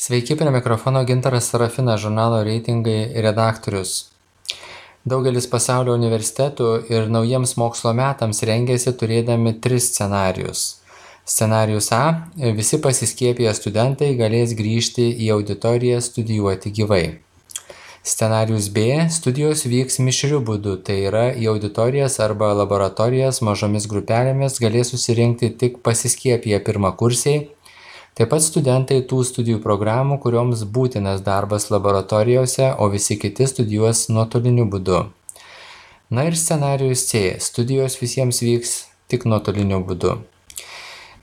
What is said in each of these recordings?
Sveiki, prie mikrofono Gintaras Sarafinas, žurnalo reitingai redaktorius. Daugelis pasaulio universitetų ir naujiems mokslo metams rengiasi turėdami tris scenarijus. Scenarijus A - visi pasiskiepiję studentai galės grįžti į auditoriją studijuoti gyvai. Scenarijus B - studijos vyks mišriu būdu, tai yra į auditorijas arba laboratorijas mažomis grupelėmis galės susirinkti tik pasiskiepiję pirmakursiai. Taip pat studentai tų studijų programų, kurioms būtinas darbas laboratorijose, o visi kiti studijuos nuotoliniu būdu. Na ir scenarijus C - studijos visiems vyks tik nuotoliniu būdu.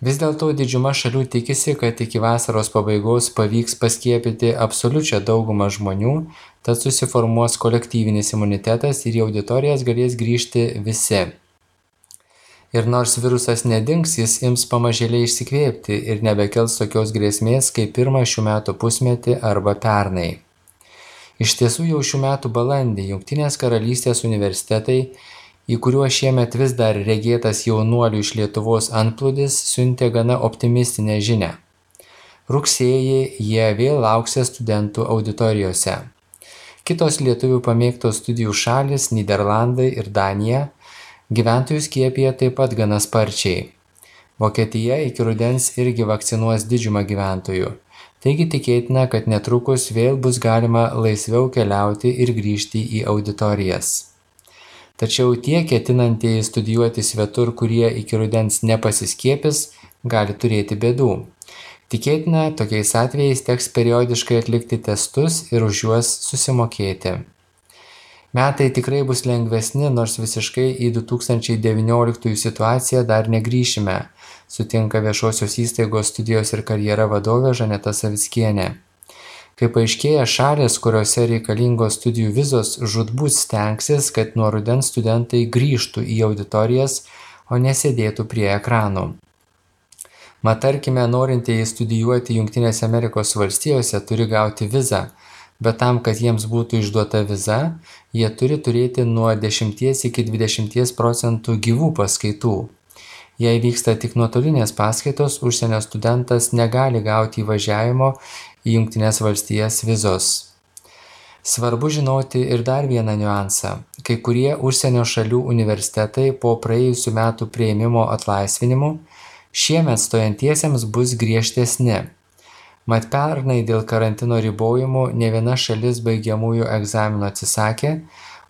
Vis dėlto didžiuma šalių tikisi, kad iki vasaros pabaigos pavyks paskiepyti absoliučią daugumą žmonių, tad susiformuos kolektyvinis imunitetas ir į auditorijas galės grįžti visi. Ir nors virusas nedings, jis ims pamažėliai išsikvėpti ir nebekels tokios grėsmės kaip pirmą šių metų pusmetį arba pernai. Iš tiesų jau šių metų balandį Jungtinės Karalystės universitetai, į kuriuos šiemet vis dar regėtas jaunuolių iš Lietuvos antplūdis, siuntė gana optimistinę žinią. Rugsėjį jie vėl lauks studentų auditorijose. Kitos lietuvių pamėgtos studijų šalys - Nyderlandai ir Danija - gyventojų skiepija taip pat gana sparčiai. Vokietija iki rudens irgi vakcinuos didžiumą gyventojų. Taigi tikėtina, kad netrukus vėl bus galima laisviau keliauti ir grįžti į auditorijas. Tačiau tie ketinantieji studijuoti svetur, kurie iki rudens nepasiskiepys, gali turėti bėdų. Tikėtina, tokiais atvejais teks periodiškai atlikti testus ir už juos susimokėti. Metai tikrai bus lengvesni, nors visiškai į 2019 situaciją dar negrįšime, sutinka Viešosios įstaigos studijos ir karjera vadovė Žaneta Savickienė. Kaip paaiškėja, šalys, kuriuose reikalingos studijų vizos, žūtbūt stengsis, kad nuo rudens studentai grįžtų į auditorijas, o nesėdėtų prie ekranų. Mat, tarkime, norintieji studijuoti Jungtinėse Amerikos valstijose turi gauti vizą, bet tam, kad jiems būtų išduota viza, jie turi turėti nuo 10 iki 20% gyvų paskaitų. Jei vyksta tik nuotolinės paskaitos, užsienio studentas negali gauti įvažiavimo į Jungtines valstijas vizos. Svarbu žinoti ir dar vieną niuansą. Kai kurie užsienio šalių universitetai po praėjusių metų priėmimo atlaisvinimų šiemet stojantiesiems bus griežtesni. Mat pernai dėl karantino ribojimų ne viena šalis baigiamųjų egzaminų atsisakė,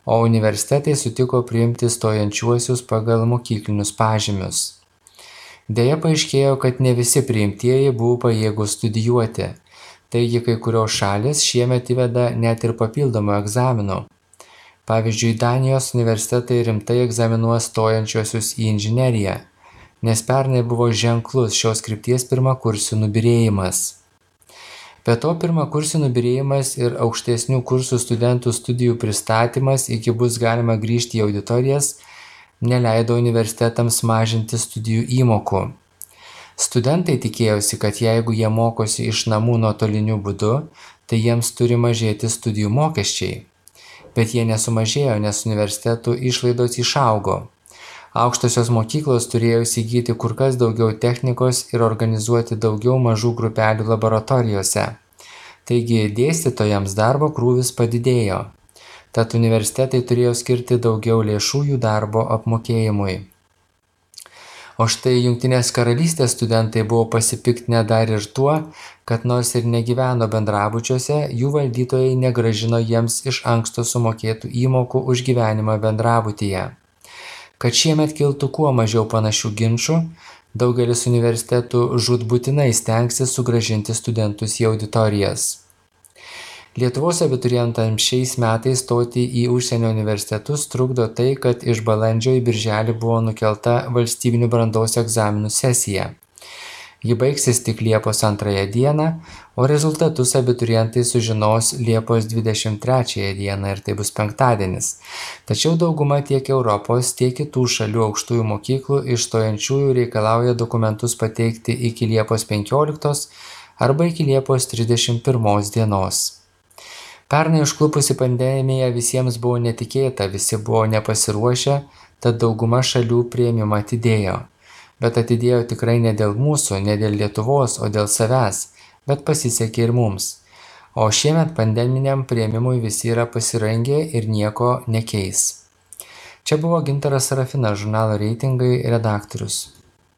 o universitetai sutiko priimti stojančiuosius pagal mokyklinius pažymius. Deja paaiškėjo, kad ne visi priimtieji buvo pajėgūs studijuoti, taigi kai kurios šalis šiemet įveda net ir papildomų egzaminų. Pavyzdžiui, Danijos universitetai rimtai egzaminuos stojančiuosius į inžineriją, nes pernai buvo ženklus šios krypties pirmakursių nubyrėjimas. Be to, pirmakursių nubyrėjimas ir aukštesnių kursų studentų studijų pristatymas, iki bus galima grįžti į auditorijas, neleido universitetams mažinti studijų įmokų. Studentai tikėjosi, kad jeigu jie mokosi iš namų nuotoliniu būdu, tai jiems turi mažėti studijų mokesčiai. Bet jie nesumažėjo, nes universitetų išlaidos išaugo. Aukštosios mokyklos turėjo įsigyti kur kas daugiau technikos ir organizuoti daugiau mažų grupelių laboratorijose. Taigi dėstytojams darbo krūvis padidėjo. Tad universitetai turėjo skirti daugiau lėšų jų darbo apmokėjimui. O štai Jungtinės Karalystės studentai buvo pasipiktinę dar ir tuo, kad nors ir negyveno bendrabučiuose, jų valdytojai negrąžino jiems iš anksto sumokėtų įmokų už gyvenimą bendrabutyje. Kad šiemet kiltų kuo mažiau panašių ginčų, daugelis universitetų žūtbūtinai stengsis sugrąžinti studentus į auditorijas. Lietuvos abiturientams šiais metais stoti į užsienio universitetus trukdo tai, kad iš balandžio į birželį buvo nukelta valstybinių brandos egzaminų sesija. Ji baigsis tik Liepos 2 dieną, o rezultatus abiturientai sužinos Liepos 23 dieną ir tai bus penktadienis. Tačiau dauguma tiek Europos, tiek kitų šalių aukštųjų mokyklų iš stojančiųjų reikalauja dokumentus pateikti iki Liepos 15 arba iki Liepos 31 dienos. Pernai užklupusi pandemija visiems buvo netikėta, visi buvo nepasiruošę, tad dauguma šalių priėmimą atidėjo. Bet atidėjo tikrai ne dėl mūsų, ne dėl Lietuvos, o dėl savęs. bet pasisekė ir mums. O šiemet pandeminiam priėmimui visi yra pasirengę ir nieko nekeis. Čia buvo Gintaras Sarafinas, žurnalo Reitingai redaktorius.